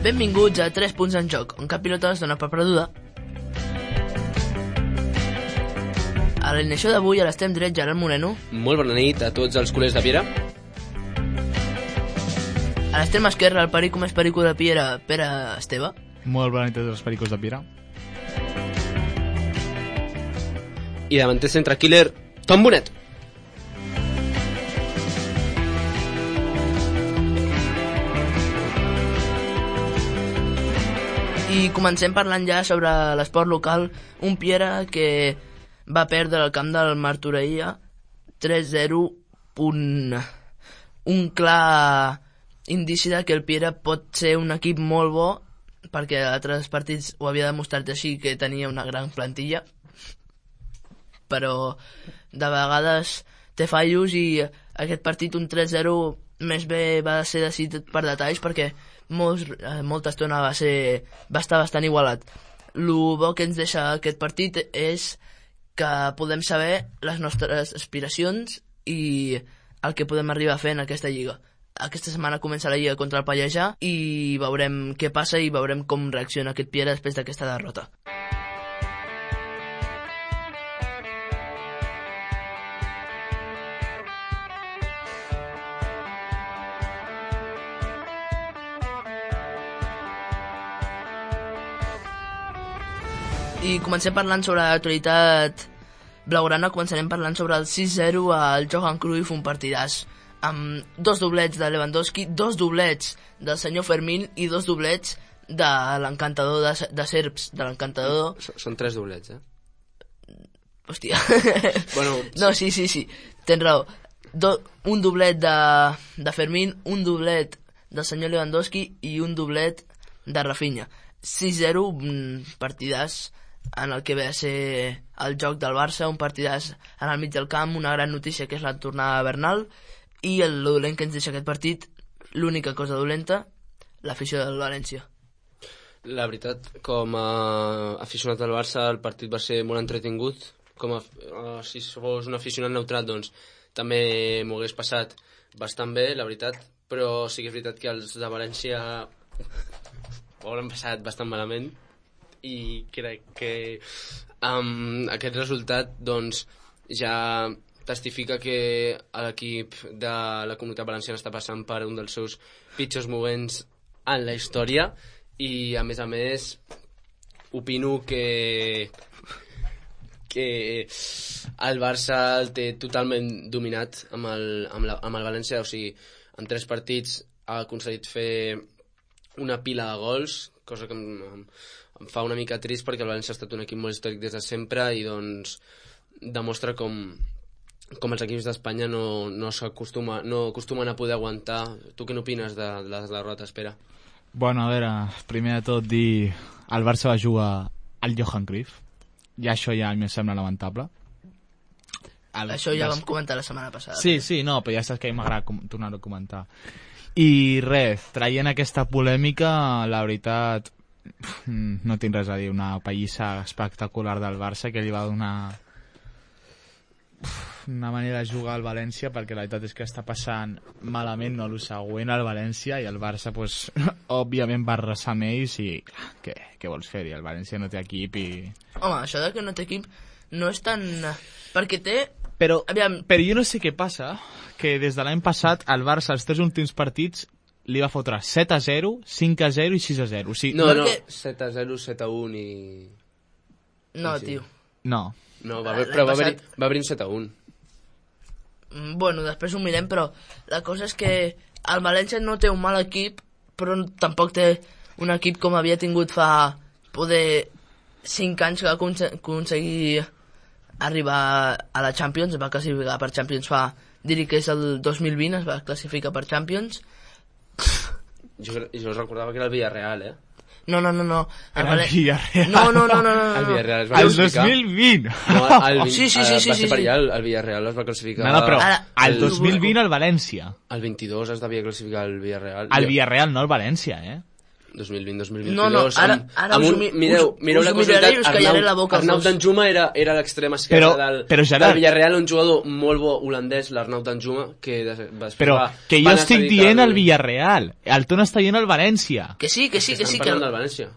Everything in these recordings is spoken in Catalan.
Benvinguts a 3 punts en joc, on cap pilota es dona per perduda. A l'alineació d'avui, a l'extrem dret, Gerard Moreno. Molt bona nit a tots els culers de Piera. A l'extrem esquerre, el perico més perico de Piera, Pere Esteve. Molt bona nit a tots els pericos de Piera. I davanter centre killer, Tom Bonet. I comencem parlant ja sobre l'esport local. Un Piera que va perdre el camp del Martorell 3-0, un clar indici que el Piera pot ser un equip molt bo, perquè a altres partits ho havia demostrat així, que tenia una gran plantilla, però de vegades té fallos, i aquest partit, un 3-0, més bé va ser decidit per detalls, perquè molta estona va estar bastant igualat. El bo que ens deixa aquest partit és que podem saber les nostres aspiracions i el que podem arribar a fer en aquesta lliga. Aquesta setmana comença la lliga contra el Pallejà i veurem què passa i veurem com reacciona aquest Piera després d'aquesta derrota. I comencem parlant sobre l'actualitat blaugrana. Començarem parlant sobre el 6-0 al Johan Cruyff, un partidàs amb 2 doblets de Lewandowski, 2 doblets del senyor Fermín i 2 doblets de l'encantador de Serps, de l'encantador... Són 3 doblets, Hòstia. Bueno, no, sí, tens raó. Un doblet de Fermín, un doblet del senyor Lewandowski i un doblet de Rafinha. 6-0, un partidàs en el que ve a ser el joc del Barça, un partidàs en el mig del camp, una gran notícia que és la tornada de Bernal, i el dolent que ens deixa aquest partit, l'única cosa dolenta, l'afició del València. La veritat, com a aficionat del Barça, el partit va ser molt entretingut. Si fos un aficionat neutral, doncs també m'ho hagués passat bastant bé, la veritat, però sí que és veritat que els de València ho hauran passat bastant malament, i crec que aquest resultat doncs ja testifica que l'equip de la Comunitat Valenciana està passant per un dels seus pitjors moments en la història, i a més opino que el Barça el té totalment dominat amb el València. O sigui, en 3 partits ha aconseguit fer una pila de gols, cosa que em fa una mica trist, perquè el València ha estat un equip molt històric des de sempre, i doncs demostra com els equips d'Espanya no acostumen a poder aguantar. Tu què n'opines de les derrotes, Pere? Bueno, a veure, primer de tot dir, el Barça va jugar al Johan Cruyff, i això ja em sembla lamentable. Això ja vam comentar la setmana passada. Sí, no, però ja saps que a mi m'agrada tornar-ho a comentar. I res, traient aquesta polèmica, la veritat, no tinc res a dir. Una pallissa espectacular del Barça, que li va donar una manera de jugar al València, perquè la veritat és que està passant malament, no, el següent al València, i el Barça pues, òbviament va arrasar amb ells, i què vols fer-hi? El València no té equip i... Home, això de que no té equip no és tan... perquè té... Però jo no sé què passa, que des de l'any passat el Barça els 3 últims partits li va fotre 7-0, 5-0 i 6-0. O sigui, no, 7-0, 7-1 i... No, sí. Tio. No, però va haver-hi un 7-1. Bueno, després ho mirem, però la cosa és que el València no té un mal equip, però tampoc té un equip com havia tingut fa 5 anys, que va aconseguir arribar a la Champions. Es va classificar per Champions diria que és el 2020, es va classificar per Champions. Jo recordava que era el Villarreal, No. el Villarreal. No. El Villarreal es va el classificar. 2020. No, Sí. Va ser per allà, el Villarreal es va classificar. No, però el 2020 el València. El 22 es devia classificar el Villarreal. El Villarreal, no el València, 2020-2022. No, ara mireu la miraré i us callaré la boca als Arnau dos. Danjuma era l'extrem esquerre però, Gerard, del Villarreal, un jugador molt bo holandès, l'Arnau Danjuma, que però que jo estic dient el Villarreal, el Ton està dient el València. Que sí. Estan parlant del València.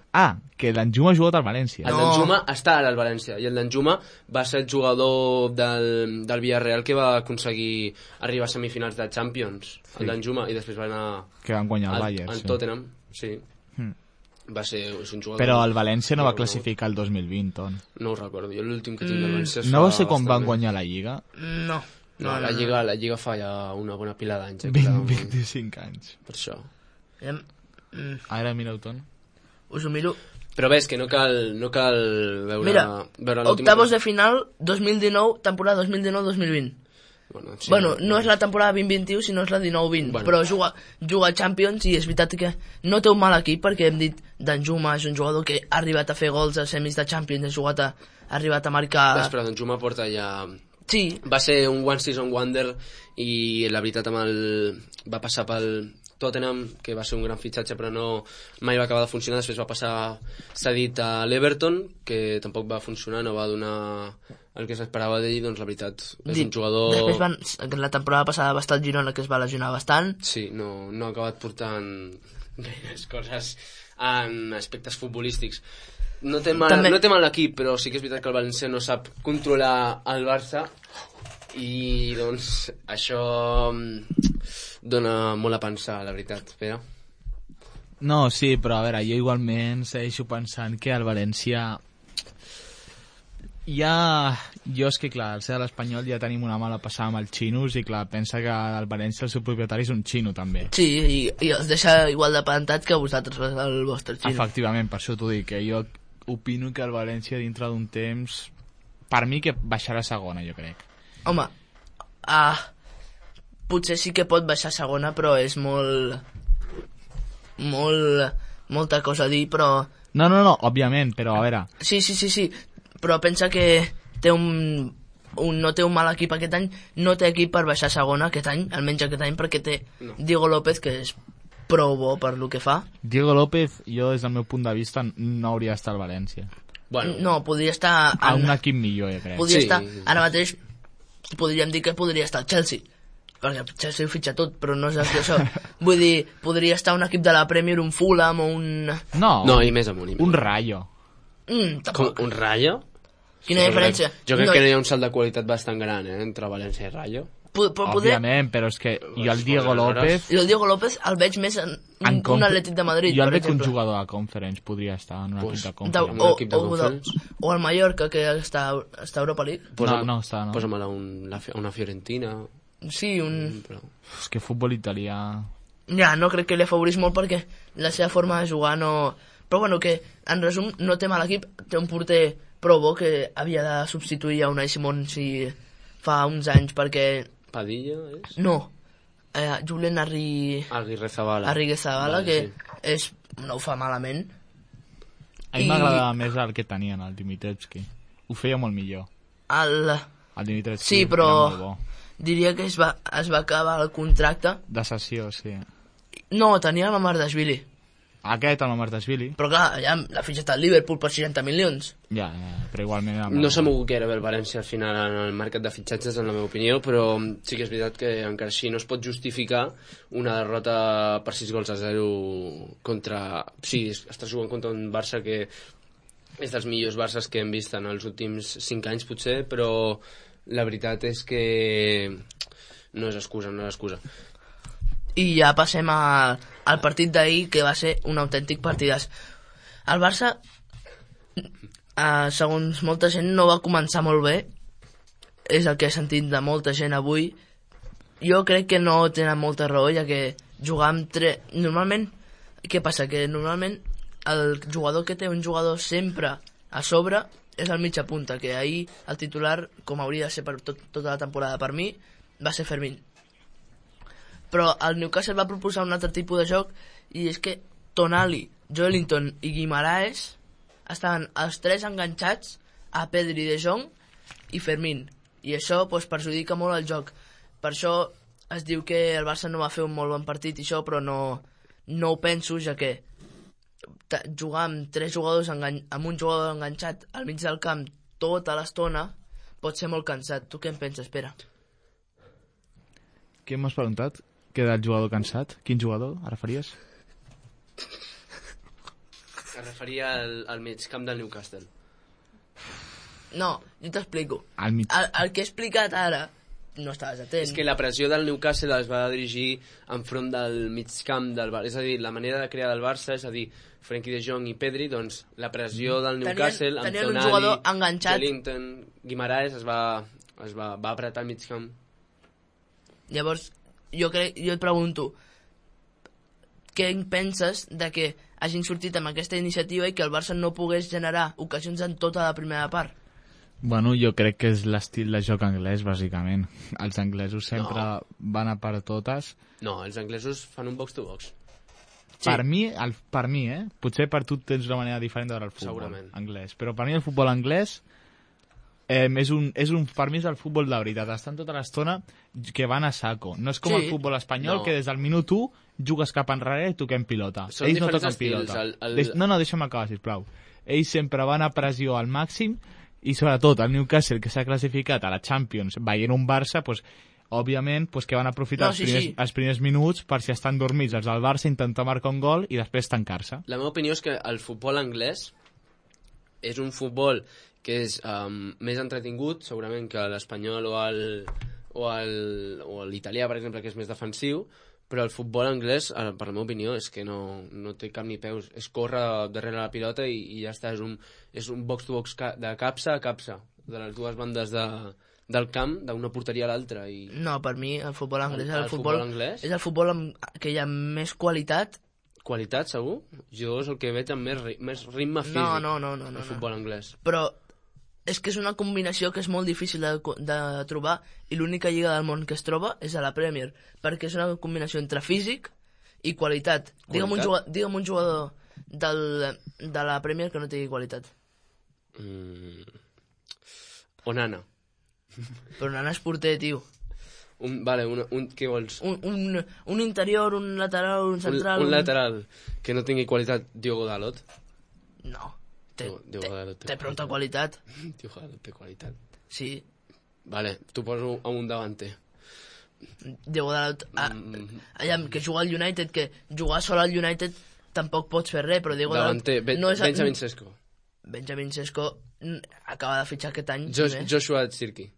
Que l'Anjuma ha jugat al València. El Danjuma està ara al València, i el Danjuma va ser el jugador del Villarreal que va aconseguir arribar a semifinals de Champions, el Danjuma, i després va anar que van guanyar el Bayern, al Tottenham, sí. Va ser un jugador... Però el València no va classificar el 2020, Ton. No ho recordo, jo l'últim que tinc del València... No va ser quan van guanyar la Lliga? No, la Lliga fa ja una bona pila d'anys. 25 anys. Per això. Ara mira-ho, Ton. Us ho miro. Però ves que no cal veure... Mira, veure octavos de final 2019, temporada 2019-2020. Bueno, no és la temporada 2021, sinó és la 19-20, però juga a Champions, i és veritat que no té un mal equip, perquè hem dit Danjuma és un jugador que ha arribat a fer gols a semis de Champions, ha arribat a marcar... Però Danjuma porta ja... Sí. Va ser un one season wonder, i la veritat va passar pel Tottenham, que va ser un gran fitxatge, però mai va acabar de funcionar. Després va passar cedit a l'Everton, que tampoc va funcionar, no va donar el que s'esperava d'ell. Doncs la veritat és un jugador... Després la temporada passada va estar al Girona, que es va lesionar bastant. Sí, no ha acabat portant gaires coses en aspectes futbolístics. No té mal l'equip, però sí que és veritat que el València no sap controlar el Barça, i doncs això dona molt a pensar, la veritat, Pere. No, sí, però a veure, jo igualment segueixo pensant que el València jo és que clar, al ser de l'Espanyol ja tenim una mala passada amb els xinos, i clar, pensa que el València el seu propietari és un xino també. Sí, i els deixa igual de plantats que vosaltres, el vostre xino. Efectivament, per això t'ho dic, que jo opino que el València dintre d'un temps, per mi que baixarà a segona, jo crec. Home, potser sí que pot baixar a segona, però és molta cosa a dir, però... No, òbviament, però a veure... Sí, però pensa que no té un mal equip aquest any, no té equip per baixar a segona aquest any, almenys aquest any, perquè té Diego López, que és prou bo per lo que fa. Diego López, jo des del meu punt de vista no hauria d'estar al València. No, podria estar... A un equip millor, jo crec. Podria estar, ara mateix, podríem dir que podria estar al Chelsea, perquè el Chelsea ho fitxa tot, però no és això. Vull dir, podria estar un equip de la Premier, un Fulham o un... No, i més amunt. Un Rayo. Un Rayo? Quina diferència? Jo crec que hi ha un salt de qualitat bastant gran, entre València i Rayo. Òbviament, però és que jo el Diego López... I el Diego López el veig més en un Atlètic de Madrid, jo el veig un jugador de Conference, podria estar en un equip de Conference. O el Mallorca, que està a Europa League. No està, no. Posa-me'l a una Fiorentina. Sí, És que futbol italià... Ja, no crec que li afavorís molt, perquè la seva forma de jugar no... Però bueno, que en resum no té mal equip, té un porter prou bo que havia de substituir a Unai Simón si fa uns anys, perquè... Padilla, és? No, Julen Arriguezabala, que no ho fa malament. A mi m'agradava més el que tenien, el Dimitrescu. Ho feia molt millor. El Dimitrescu sí, però diria que es va acabar el contracte. De cessió, sí. No, tenia la Mamardashvili. Aquest, el Mamardashvili. Però clar, ja l'ha fitxat al Liverpool per 60 milions. Ja, però igualment... No s'ha mogut gaire bé el València al final en el mercat de fitxatges, en la meva opinió, però sí que és veritat que encara així no es pot justificar una derrota per 6-0 contra... Sí, estàs jugant contra un Barça que és dels millors Barças que hem vist en els últims 5 anys, potser, però la veritat és que no és excusa. I ja passem al partit d'ahir, que va ser un autèntic partidàs. El Barça, segons molta gent, no va començar molt bé. És el que he sentit de molta gent avui. Jo crec que no tenen molta raó, ja que jugar amb normalment, què passa? Que normalment el jugador que té un jugador sempre a sobre és el mitja punta, que ahir el titular, com hauria de ser per tota la temporada per mi, va ser Fermín. Però el Newcastle va proposar un altre tipus de joc, i és que Tonali, Joelinton i Guimaraes estaven els tres enganxats a Pedri, De Jong i Fermín, i això perjudica molt el joc. Per això es diu que el Barça no va fer un molt bon partit i això, però no ho penso, ja que jugar amb 3 jugadors, amb un jugador enganxat al mig del camp tota l'estona, pot ser molt cansat. Tu què en penses, Pere? Què m'has preguntat? Queda el jugador cansat? Quin jugador ara faries? Es referia al migcamp del Newcastle. No, jo t'explico. Al mig... El que he explicat ara no estaves atent. És que la pressió del Newcastle es va dirigir enfront del migcamp del Barça. És a dir, la manera de crear del Barça, és a dir, Frenkie de Jong i Pedri, doncs la pressió del Newcastle amb tenien un jugador enganxat. Wellington, Guimaraes es va apretar al migcamp. Llavors, jo et pregunto, què en penses de que hagin sortit amb aquesta iniciativa i que el Barça no pogués generar ocasions en tota la primera part? Bueno, jo crec que és l'estil de joc anglès, bàsicament. Els anglesos sempre van a per totes. No, els anglesos fan un box-to-box. Sí. Per mi, potser per tu tens una manera diferent de veure el futbol Segurament. anglès. Però per mi el futbol anglès per mi és el futbol de veritat. Estan tota l'estona que van a saco. No és com el futbol espanyol, que des del minut 1 jugues cap enrere i toquem pilota. Són Ells no diferents toquen estils, pilota. No, deixa'm acabar, sisplau. Ells sempre van a pressió al màxim i sobretot el Newcastle, que s'ha classificat a la Champions veient un Barça, doncs, òbviament que van aprofitar els primers minuts per si estan dormits els del Barça, intentar marcar un gol i després tancar-se. La meva opinió és que el futbol anglès és un futbol que és més entretingut, segurament, que l'espanyol o l'italià, per exemple, que és més defensiu, però el futbol anglès, per la meva opinió, és que no té cap ni peus. És córrer darrere la pilota i ja està. És un box-to-box de capsa a capsa, de les dues bandes del camp, d'una porteria a l'altra. No, per mi el futbol anglès és el futbol que hi ha més qualitat. Qualitat, segur? Jo és el que veig amb més ritme físic. No. El futbol anglès. Però és que és una combinació que és molt difícil de trobar i l'única lliga del món que es troba és a la Premier, perquè és una combinació entre físic i qualitat. Digue'm un jugador de la Premier que no tingui qualitat. Onana. Però Onana és porter, tio. Què vols? Un interior, un lateral, un central... Un lateral que no tingui qualitat, Diogo Dalot. No. Té prou qualitat. Diogo Dalot té qualitat. Sí. Vale, t'ho poso a un davanter. Diogo Dalot... que jugar al United, que jugar sol al United tampoc pots fer res, però Diogo Dalot... Davanter, Benjamin Sesko. Benjamin Sesko acaba de fitxar aquest any. Joshua Zirkzee.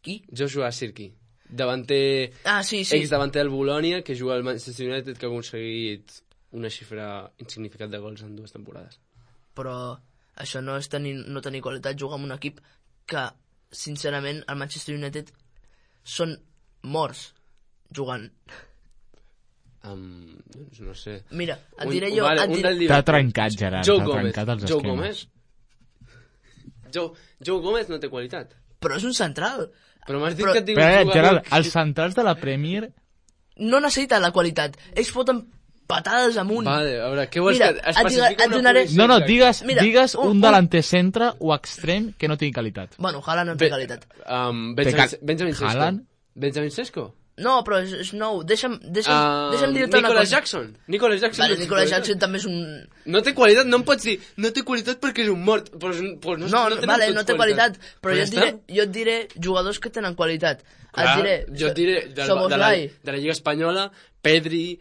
Qui? Joshua Zirkzee. Davanter... sí. Ex-davanter del Bologna, que juga al Manchester United, que ha aconseguit una xifra insignificant de gols en 2 temporades. Però això no és no tenir qualitat, jugar amb un equip que, sincerament, el Manchester United són morts jugant. Doncs no sé. Mira, et diré jo... T'ha trencat, Gerard. Joe Gómez. Joe Gómez no té qualitat. Però és un central. Però m'has dit que et diu Gerard, els centrals de la Premier... No necessiten la qualitat. Ells foten patades amunt. Vale, a veure, què vols que especifica una posició? No, digues un delanter centre o extrem que no tingui qualitat. Bueno, Haaland no té qualitat. Benjamin Sesko. Haaland? Benjamin Sesko? No, però és nou. Deixa'm dir-te una cosa. Nicolas Jackson. Vale, Nicolas Jackson també és un... No té qualitat, no em pots dir no té qualitat perquè és un mort. No té qualitat, però jo et diré jugadors que tenen qualitat. Jo et diré de la Lliga Espanyola, Pedri,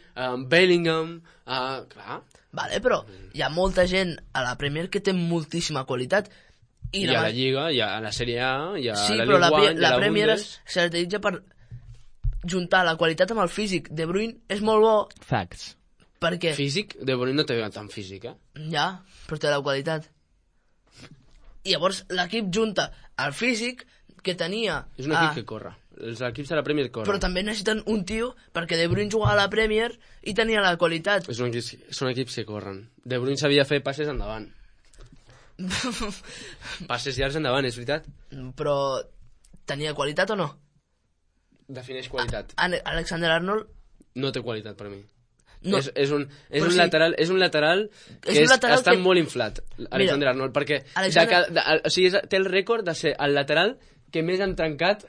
Bellingham, clar. Vale, però hi ha molta gent a la Premier que té moltíssima qualitat. I a la Lliga, i a la Sèrie A, i a la Liga 1, la Premier es caracteritza per juntar la qualitat amb el físic. De Bruyne és molt bo. Facts. Per què? Físic? De Bruyne no té tant físic, Ja, però té la qualitat. I llavors l'equip junta el físic que tenia... És un equip que corre. Els equips de la Premier corren. Però també necessiten un tio, perquè De Bruyne jugava a la Premier i tenia la qualitat. Són equips que corren. De Bruyne sabia fer passes endavant. Passes llargs endavant, és veritat? Però tenia qualitat o no? Defineix qualitat. Alexander-Arnold... No té qualitat per mi. No. És un lateral que està molt inflat, Alexander-Arnold, perquè té el rècord de ser el lateral que més han trencat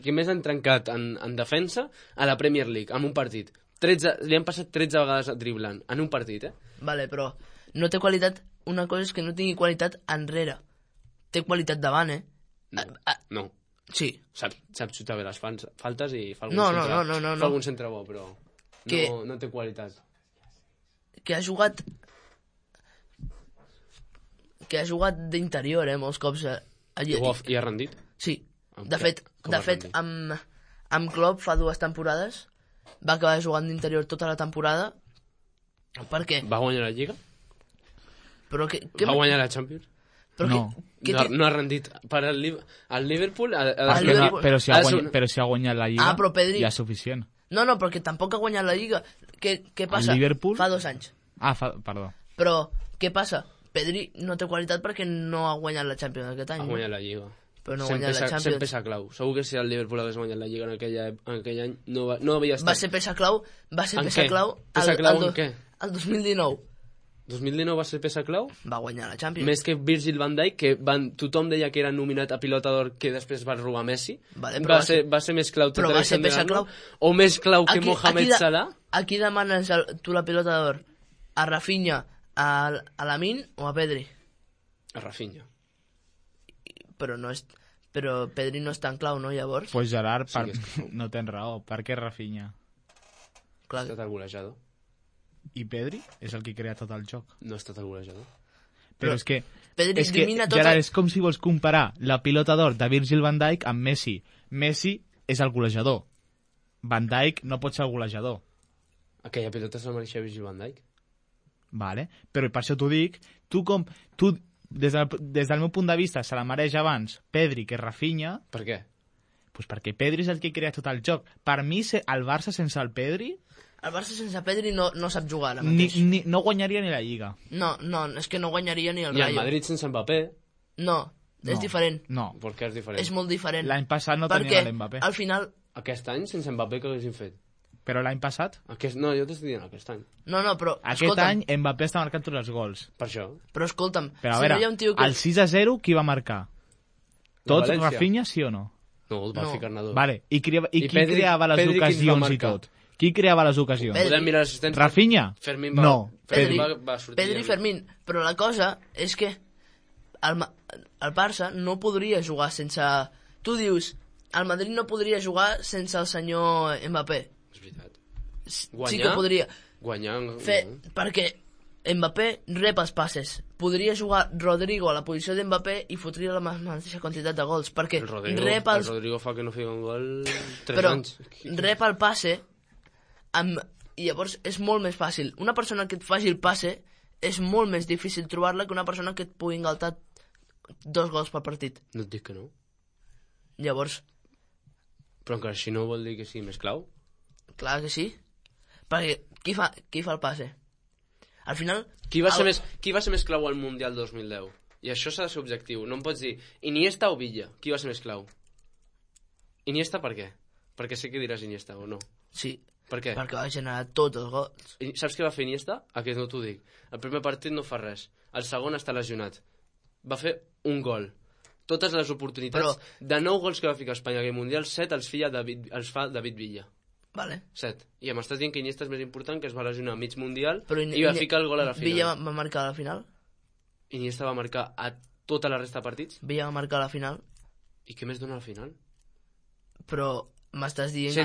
que més han trencat en defensa a la Premier League, en un partit. li han passat 13 vegades driblant en un partit, Vale, però no té qualitat. Una cosa és que no tingui qualitat enrere. Té qualitat davant, No. Sí. Sap xutar bé les faltes i fa No. algun centre bo, però no té qualitat. Que ha jugat d'interior, molts cops. I ha rendit? Sí. Com De fet, rendit? amb Klopp fa 2 temporades va acabar jugant d'interior tota la temporada. Per què? Va guanyar la Lliga? Però Va guanyar la Champions? Però No. No ha rendit. Per al Liverpool... Però si ha guanyat la Lliga, però Pedri... ja és suficient. No, perquè tampoc ha guanyat la Lliga. Què passa? El Liverpool? Fa 2 anys. Perdó. Però què passa? Pedri no té qualitat perquè no ha guanyat la Champions aquest any. Ha guanyat la Lliga. Però no ha guanyat la Champions. Sempre peça clau. Segur que si el Liverpool hagués guanyat la Lliga en aquell any no havia estat... Va ser peça clau Peça clau en què? El 2019. 2019 va ser peça clau? Va guanyar la Champions. Més que Virgil van Dijk, que tothom deia que era nominat a pilota d'or, que després va robar Messi. Vale, va ser més clau però va ser peça clau. O més clau que Mohamed Salah? A qui demanes tu la pilota d'or? A Rafinha, a Lamine o a Pedri? A Rafinha. Però Pedri no és tan clau, no, llavors? Pues Gerard, no tens raó. Per què Rafinha? Clar. Ha estat el golejador. I Pedri és el que crea tot el joc. No ha estat el golejador. Però és que, Pedri domina tot Gerard, és com si vols comparar la pilota d'or de Virgil van Dijk amb Messi. Messi és el golejador. Van Dijk no pot ser el golejador. Aquella pilota se la mereixia Virgil van Dijk. Vale. Però per això t'ho dic, tu des del meu punt de vista se la mereix abans Pedri que Rafinha. Per què? Pues perquè Pedri és el que crea tot el joc. Per mi, el Barça sense el Pedri... El Barça sense Pedri no sap jugar ara mateix. No guanyaria ni la Lliga. No, és que no guanyaria ni el Rayo. Rayo. I el Madrid sense Mbappé? No, és diferent. No. Per què és diferent? És molt diferent. L'any passat no tenia l'Mbappé. Perquè al final... Aquest any sense Mbappé què haguessin fet? Però l'any passat? No, jo t'estic dient aquest any. No, però... Aquest any Mbappé està marcant tots els gols. Per això. Però escolta'm... Però a veure, el 6-0 qui va marcar? Tots Rafinha, sí o no? No, el va ficar Nadal. Vale, i qui creava les ocasions i tot? Qui creava les ocasions? Podem mirar l'assistència. Rafinha? Fermín no. va sortir. Pedri i Fermín. Però la cosa és que el Barça no podria jugar sense... Tu dius, el Madrid no podria jugar sense el senyor Mbappé. És veritat. Sí que podria. Guanyar... Perquè Mbappé rep els passes. Podria jugar Rodrigo a la posició d'Mbappé i fotria la mateixa quantitat de gols. Perquè el Rodrigo fa que no fica un gol 3 anys. Però rep el passe i llavors és molt més fàcil. Una persona que et faci el passe és molt més difícil trobar-la que una persona que et pugui engaltar 2 gols per partit. No et dic que no. Llavors... Però encara així no vol dir que sigui més clau? Clar que sí. Perquè qui fa el passe? Al final... Qui va ser més clau al Mundial 2010? I això s'ha de ser objectiu. No em pots dir Iniesta o Villa. Qui va ser més clau? Iniesta per què? Perquè sé que diràs Iniesta o no. Sí. Per què? Perquè va generar tots els gols. I saps què va fer Iniesta? Aquest no t'ho dic. El primer partit no fa res. El segon està lesionat. Va fer un gol. Totes les oportunitats... De 9 gols que va ficar a Espanya aquell Mundial, 7 els fa David Villa. Vale. 7. I m'estàs dient que Iniesta és més important, que es va lesionar a mig Mundial i va ficar el gol a la final. Villa va marcar a la final? Iniesta va marcar a tota la resta de partits? Villa va marcar a la final? I què més dona a la final? Però m'estàs dient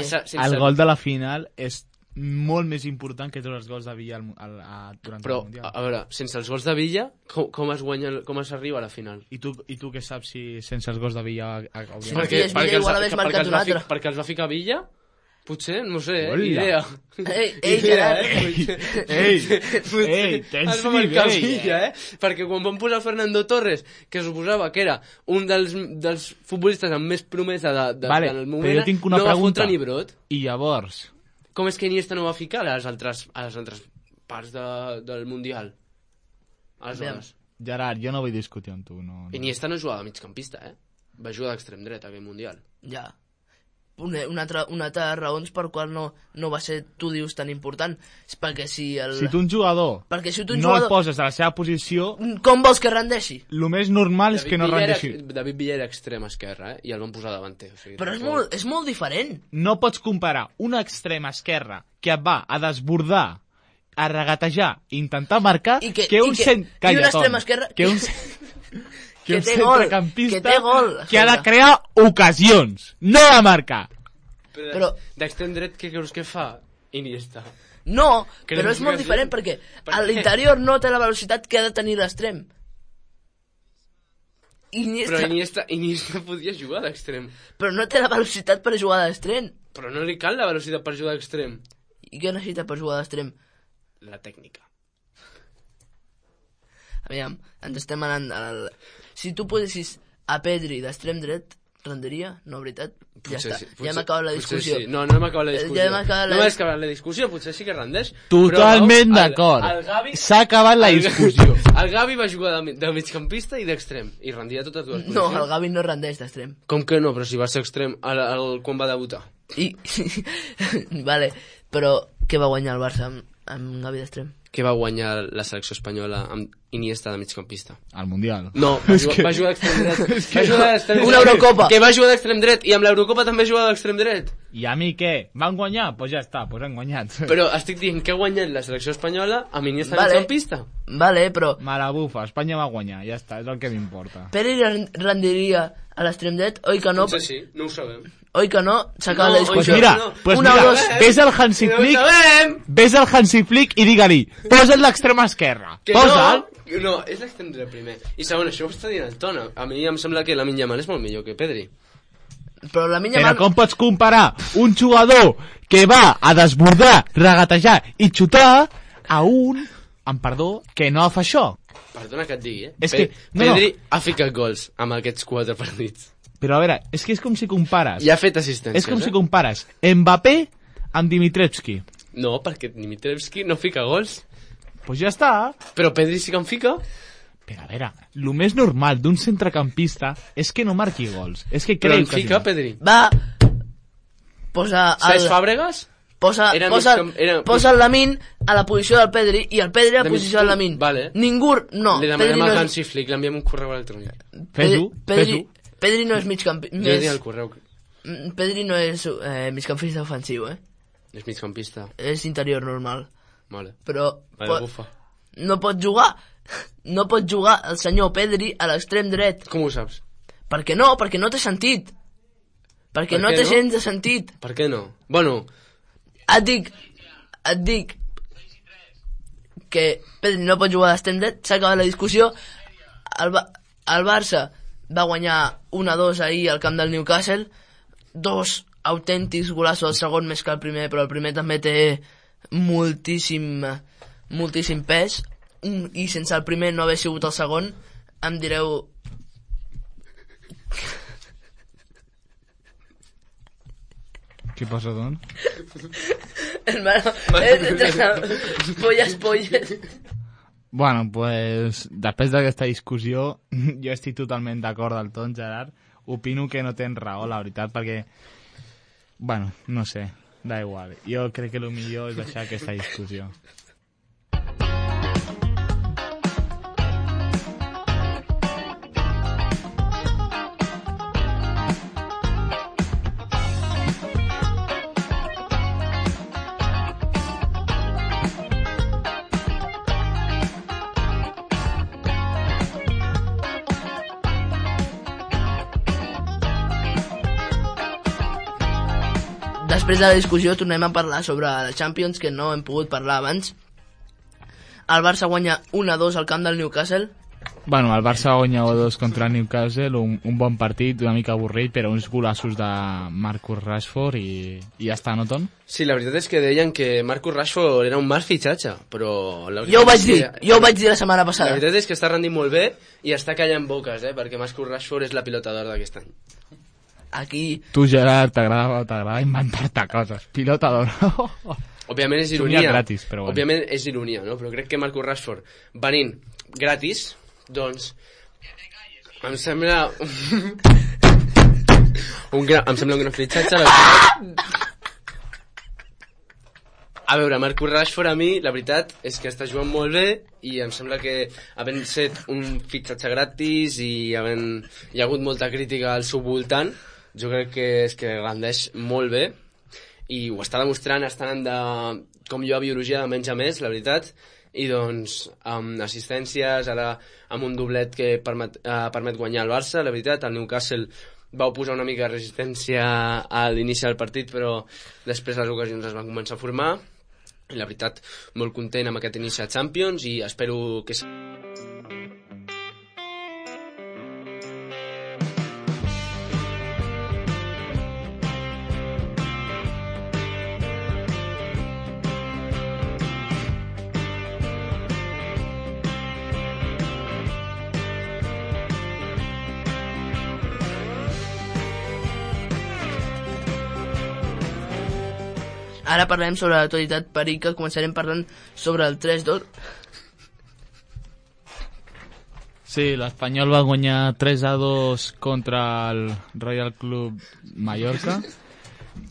El gol de la final és molt més important que tots els gols de Villa durant el Mundial. A veure, sense els gols de Villa, com es arriba a la final? I tu què saps si sense els gols de Villa... Si no tens Villa, igual hagués marcat un altre. Perquè els va ficar Villa? Potser, no sé, idea. Ei, Gerard. Ei, tens nivell, Villa, Perquè quan van posar Fernando Torres, que suposava que era un dels futbolistes amb més promesa del moment, però jo tinc una pregunta. Va fotre ni brot. I llavors... Com és que Iniesta no va ficar a les altres parts del Mundial? Aleshores. Gerard, jo no vull discutir amb tu. No. Iniesta no jugava de migcampista, Va jugar d'extrem dret aquell Mundial. Ja. una altra raons per qual no va ser, tu dius, tan important. És perquè si tu un jugador no el poses a la seva posició... Com vols que rendeixi? El més normal és que no rendeixi. David Villa era extrem esquerra, i el van posar davanter. Però és molt diferent. No pots comparar un extrem esquerra que et va a desbordar, a regatejar, intentar marcar, que un centrecampista que ha de crear ocasions, no de marcar. Però d'extrem dret, què creus que fa Iniesta? No, però és molt diferent perquè a l'interior no té la velocitat que ha de tenir l'extrem. Però Iniesta podia jugar d'extrem. Però no té la velocitat per jugar d'extrem. Però no li cal la velocitat per jugar d'extrem. I què necessita per jugar d'extrem? La tècnica. Aviam, ens estem anant Si tu posessis a Pedri d'extrem dret, rendiria? No, veritat? Ja està, ja hem acabat la discussió. Sí. No hem acabat la discussió. No hem acabat la discussió, potser sí que rendeix. Totalment d'acord. S'ha acabat la discussió. El Gavi va jugar de migcampista i d'extrem, i rendia totes dues posicions. No, el Gavi no rendeix d'extrem. Com que no? Però si va ser extrem quan va debutar. Vale, però què va guanyar el Barça amb Gavi d'extrem? Què va guanyar la selecció espanyola amb Iniesta de migcampista? El Mundial. No, va jugar d'extrem dret. Una Eurocopa. Que va jugar d'extrem dret, i amb l'Eurocopa també jugava d'extrem dret. I a mi què? Van guanyar? Doncs ja està, han guanyat. Però estic dient que ha guanyat la selecció espanyola amb Iniesta de migcampista. Vale, però... Me la bufa, Espanya va guanyar, ja està, és el que m'importa. Pedri rendiria a l'extrem dret? Oi que no? Potser sí, no ho sabem. Oi que no? S'acaba la discussió. Pues mira, ves al Hansi Flick i digue-li, posa't l'extrem esquerra. Posa'l. No, és l'extrem dret primer. I segon, això ho està dient el Tona. A mi em sembla que Lamine Yamal és molt millor que Pedri. Però com pots comparar un jugador que va a desbordar, regatejar i xutar a un, amb perdó, que no fa això? Perdona que et digui, Pedri ha ficat gols amb aquests 4 partits. Però a veure, és que és com si compares... I ha fet assistències, És com si compares Mbappé amb Dimitrievski. No, perquè Dimitrievski no fica gols. Pues ja està. Però Pedri sí que en fica. Però a veure, el més normal d'un centrecampista és que no marqui gols. És que però en fica, Pedri. Va, posa... Cesc Fàbregas? Posa el Lamine a la posició del Pedri i el Pedri a la posició del Lamine. Vale. Ningú... No. Li demanem al Hansi Flick, l'enviem un correu electrònic. Fes-ho. Pedri no és migcampista. Jo diré el correu. Pedri no és migcampista ofensiu, És migcampista. És interior normal. Vale. Però bufa. No pot jugar el senyor Pedri a l'extrem dret. Com ho saps? Perquè no té sentit. Perquè no té gens de sentit. Per què no? Bueno... Et dic que Pedri no pot jugar a l'extrem dret, s'ha acabat la discussió. El Barça va guanyar 1-2 ahir al camp del Newcastle, 2 autèntics golassos, el segon més que el primer, però el primer també té moltíssim pes, i sense el primer no haver sigut el segon, em direu... Què passa, doncs? Hermano, polles. Bueno, pues, després d'aquesta discussió, jo estic totalment d'acord del tot, Gerard. Opino que no tens raó, la veritat, perquè... Bueno, no sé, da igual. Jo crec que el millor és deixar aquesta discussió. Després de la discussió tornem a parlar sobre la Champions, que no hem pogut parlar abans. El Barça guanya 1-2 al camp del Newcastle. Bueno, el Barça guanya 1-2 contra el Newcastle, un bon partit, una mica avorrit, però uns golassos de Marcus Rashford i ja està, no, Ton? Sí, la veritat és que deien que Marcus Rashford era un mal fitxatge, però... Jo ho vaig dir la setmana passada. La veritat és que està rendint molt bé i està callant boques, perquè Marcus Rashford és la pilota d'or d'aquest any. Aquí... Tu, Gerard, t'agrada inventar-te coses. Pilota d'or. Òbviament és ironia. Gratis, però bueno. Òbviament és ironia, no? Però crec que Marcus Rashford, venint gratis, doncs... Em sembla... Em sembla un gran fitxatge. A veure, Marcus Rashford a mi, la veritat és que està jugant molt bé i em sembla que havent set un fitxatge gratis i hi ha hagut molta crítica al seu voltant, jo crec que és que rendeix molt bé i ho està demostrant, està anant de, com jo a biologia, de menys a més, la veritat, i doncs amb assistències, ara amb un doblet que permet guanyar el Barça, la veritat, el Newcastle vau posar una mica de resistència a l'inici del partit, però després les ocasions es van començar a formar, i la veritat, molt content amb aquest inici a Champions i espero que... Ara parlem sobre l'actualitat perica, començarem parlant sobre el 3-2. Sí, l'Espanyol va guanyar 3-2 contra el Royal Club Mallorca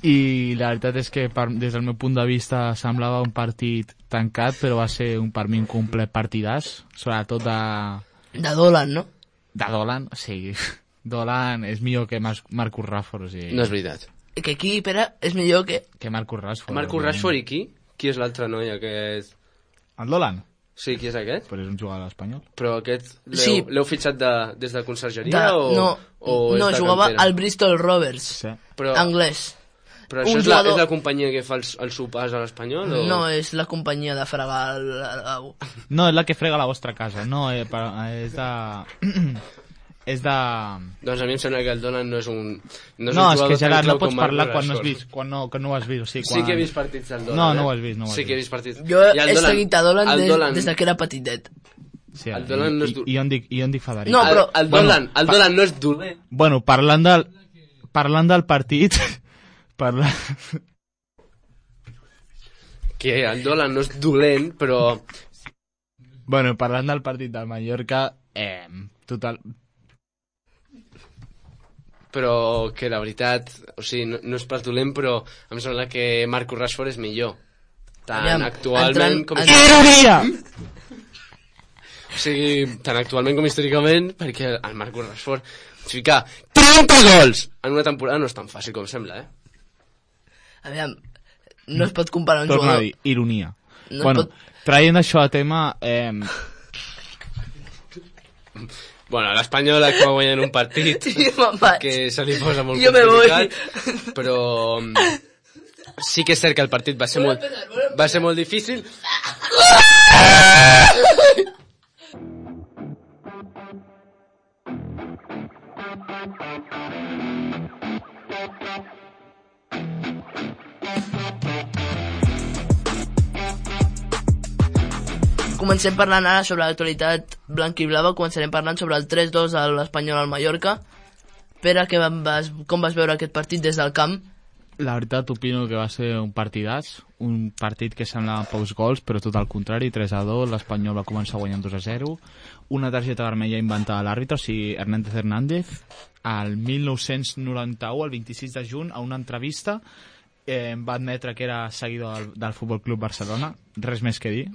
i la veritat és que des del meu punt de vista semblava un partit tancat, però va ser per mi un complet partidàs, sobretot de Dolan, no? De Dolan, sí. Dolan és millor que Marcus Rashford, o sigui... No és veritat. Que aquí, Pere, és millor que Marcus Rashford. Marcus Rashford i qui? Qui és l'altre noi aquest? El Dolan? Sí, qui és aquest? Però és un jugador espanyol. Però aquest Sí. l'heu fitxat des de consergeria no, jugava al Bristol Rovers, Sí. Però, anglès. però això un és jugador- la companyia que fa els sopars a l'Espanyol? O... No, és la companyia de fregar el lavabo. No, és la que frega la vostra casa, no, és de... és de... Doncs a mi em sembla que el Dolan no és un... No, un és jugador que tan Gerard, no clau pots com parlar Marcus quan no has Rashford. vist, que no ho has vist, o sigui, Sí quan... que he vist partits del Dolan, No, no ho has vist, no ho has Sí que he vist. vist partits. Jo I el he Dolan- seguit a Dolan el Dolan- des que era petitet. Sí, el Dolan no és dur. I on dic Federic? No, però- El Dolan no és dolent. Bueno, parlant del partit... Que el Dolan no és dolent, però... Bueno, parlant del partit del Mallorca, total... Però que la veritat, o sigui, no és pas dolent, però em sembla que Marcus Rashford és millor. Tant Aviam, actualment com... Ironia! O sigui, tant actualment com històricament, perquè el Marcus Rashford ficar 30 gols en una temporada no és tan fàcil com sembla, Aviam, no es pot comparar un Torna a jugador... dir, ironia. No Bueno, pot- traient això a tema... Bueno, l'Espanyol acaba guanyant un partit Sí, me'n vaig. que se li posa molt Jo me voy. complicat, però sí que és cert que el partit va ser molt difícil. Comencem parlant ara sobre l'actualitat blanc-i-blava, començarem parlant sobre el 3-2 de l'Espanyol al Mallorca. Pere, com vas veure aquest partit des del camp? La veritat, opino que va ser un partidàs, un partit que semblava pocs gols, però tot al contrari, 3-2, l'Espanyol va començar guanyant 2-0, una targeta vermella inventada a l'àrbitre, o sigui, Hernández, al 1991, el 26 de juny, a una entrevista, va admetre que era seguidor del Futbol Club Barcelona, res més que dir.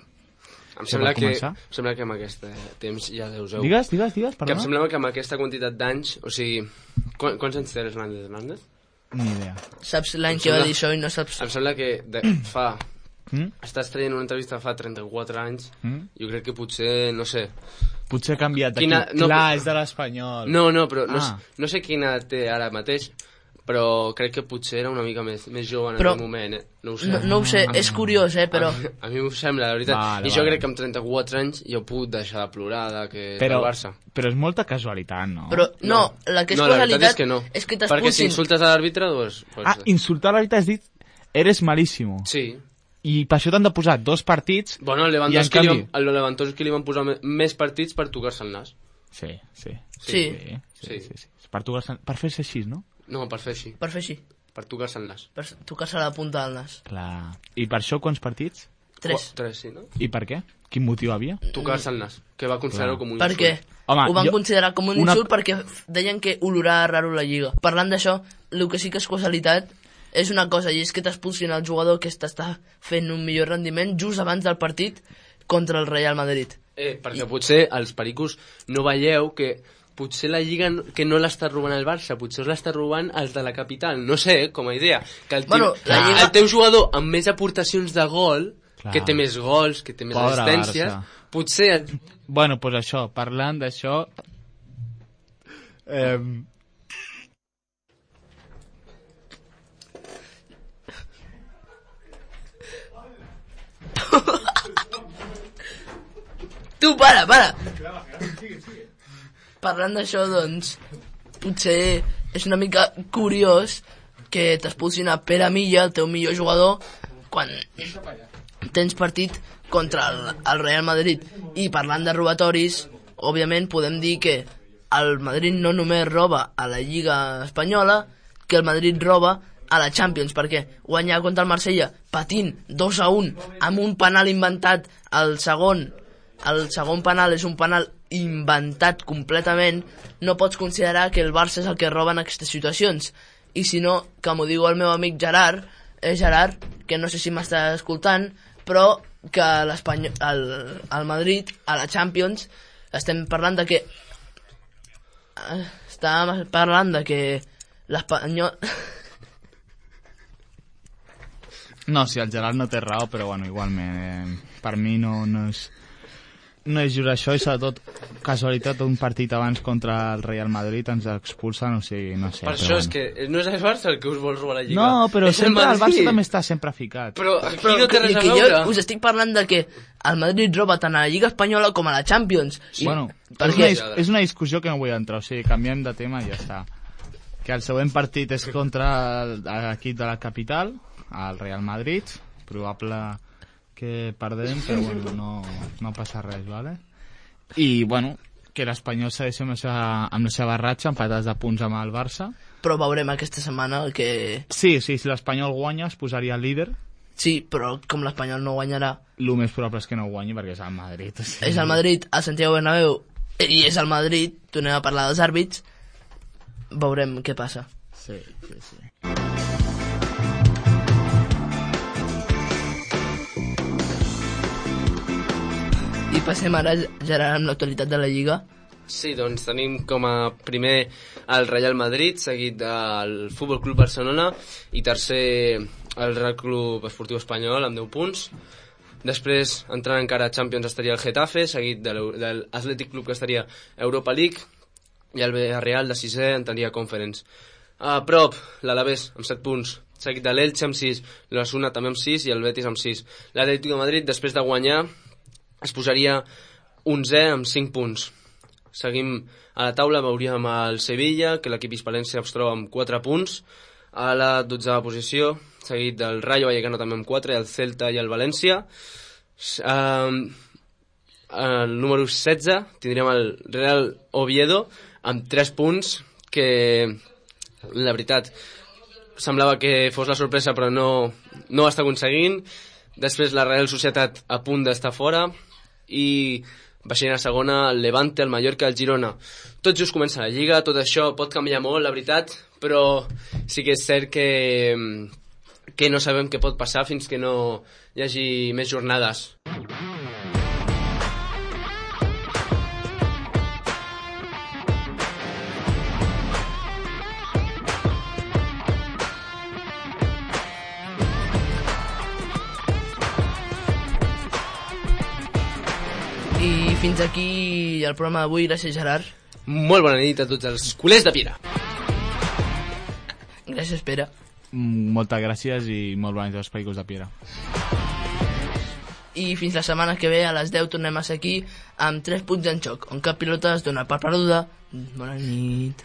Em sembla pot que començar? amb aquest temps ja deuseu... Digues, Que em perdona. sembla que amb aquesta quantitat d'anys, o sigui... Quants anys té Hernández? Ni idea. Saps l'any que va dir això i no saps... Em sembla que fa... Mm? Estàs traient una entrevista fa 34 anys, Mm? jo crec que potser, no sé... Potser ha canviat d'aquí. Quina- no, Clar, però- és de l'Espanyol. No, però Ah. no sé quina té ara mateix, però crec que potser era una mica més jove en Però- aquell moment, No ho sé. No ho sé, és curiós, però... A mi m'ho sembla, la veritat. Vale, I jo vale. crec que amb 34 anys jo he pogut deixar de plorar que Però, del Barça. però és molta casualitat, no? Però no, la que és No, la veritat casualitat és que no. és que Perquè si t'expulsin. insultes a l'àrbitre, doncs... Insultar l'àrbitre has dit, eres malísimo. Sí. I per això t'han de posar 2 partits... Bueno, el I en Lewandowski, canvi- el Lewandowski li van posar més partits per tocar-se el nas. Sí. Sí. Per fer-se així, no? No, per fer així. Per fer així, Per tocar-se el nas. per tocar-se la punta del nas. Clar. I per això quants partits? 3. 3, sí, no? I per què? Quin motiu havia? Tocar-se el nas, que va considerar-ho com un Perquè insult. Home, ho van considerar com un insult perquè deien que olorava raro la Lliga. Parlant d'això, el que sí que és causalitat és una cosa, i és que t'expulsin el jugador que està fent un millor rendiment just abans del partit contra el Real Madrid. Perquè potser els pericos no veieu que potser la Lliga que no l'està robant el Barça, potser l'està robant els de la capital, no sé, com a idea. Que el teu jugador amb més aportacions de gol, que té més gols, que té més assistències, potser... Bueno, doncs això, parlant d'això... Tu, para! Parlant d'això, doncs, potser és una mica curiós que t'expulsin a Pere Milla, el teu millor jugador, quan tens partit contra el Real Madrid. I parlant de robatoris, òbviament podem dir que el Madrid no només roba a la Lliga Espanyola, que el Madrid roba a la Champions, perquè guanyar contra el Marsella patint 2-1 amb un penal inventat el segon penal és un penal inventat completament, no pots considerar que el Barça és el que roba en aquestes situacions. I si no, com ho diu el meu amic Gerard, que no sé si m'està escoltant, però que el Madrid, a la Champions, estem parlant de que l'Espanyol... No, si el Gerard no té raó, però bueno, igualment, per mi no és just això, i sobretot casualitat, un partit abans contra el Real Madrid ens expulsen, o sigui, no sé. Per això és que no és el Barça el que us vol robar la Lliga. No, però sempre el Barça també està sempre ficat. Però aquí no té res a veure. Jo us estic parlant de que el Madrid roba tant a la Lliga Espanyola com a la Champions. Bueno, és una discussió que no vull entrar, o sigui, canviem de tema i ja està. Que el següent partit és contra l'equip de la capital, el Real Madrid, probable que perdem, però bueno, no passa res, ¿vale? I bueno, que l'Espanyol segueix amb la seva ratxa, empatats de punts amb el Barça. Però veurem aquesta setmana que... Sí, si l'Espanyol guanya es posaria líder. Sí, però com l'Espanyol no guanyarà... El més probable és que no guanyi perquè és el Madrid. O sigui... És el Madrid, a Santiago Bernabéu, i és el Madrid, tornem a parlar dels àrbits, veurem què passa. Sí. I passem ara, Gerard, amb l'actualitat de la Lliga. Sí, doncs tenim com a primer el Real Madrid, seguit del Futbol Club Barcelona, i tercer el Real Club Esportiu Espanyol amb 10 punts. Després, entrant encara a Champions, estaria el Getafe, seguit de l'Atlètic Club, que estaria Europa League, i el Villarreal de 6è entraria Conference. A prop, l'Alavés amb 7 punts, seguit de l'Elche amb 6, l'Osasuna també amb 6 i el Betis amb 6. L'Atlètic de Madrid, després de guanyar, es posaria 11è amb 5 punts. Seguim a la taula, veuríem el Sevilla, que l'equip hispalense es troba amb 4 punts, a la 12a posició, seguit del Rayo Vallecano també amb 4, i el Celta i el València. El número 16 tindríem el Real Oviedo amb 3 punts, que la veritat semblava que fos la sorpresa, però no ho està aconseguint. Després la Real Societat a punt d'estar fora, i baixant a segona el Levante, el Mallorca, el Girona. Tot just comença la Lliga, tot això pot canviar molt, la veritat, però sí que és cert que no sabem què pot passar fins que no hi hagi més jornades. I fins aquí el programa d'avui. Gràcies, Gerard. Molt bona nit a tots els culers de Piera. Gràcies, Pere. Moltes gràcies i molt bona nit als pericos de Piera. I fins la setmana que ve a les 10 tornem a ser aquí amb 3 punts en xoc, on cap pilota es dona per perduda. Bona nit.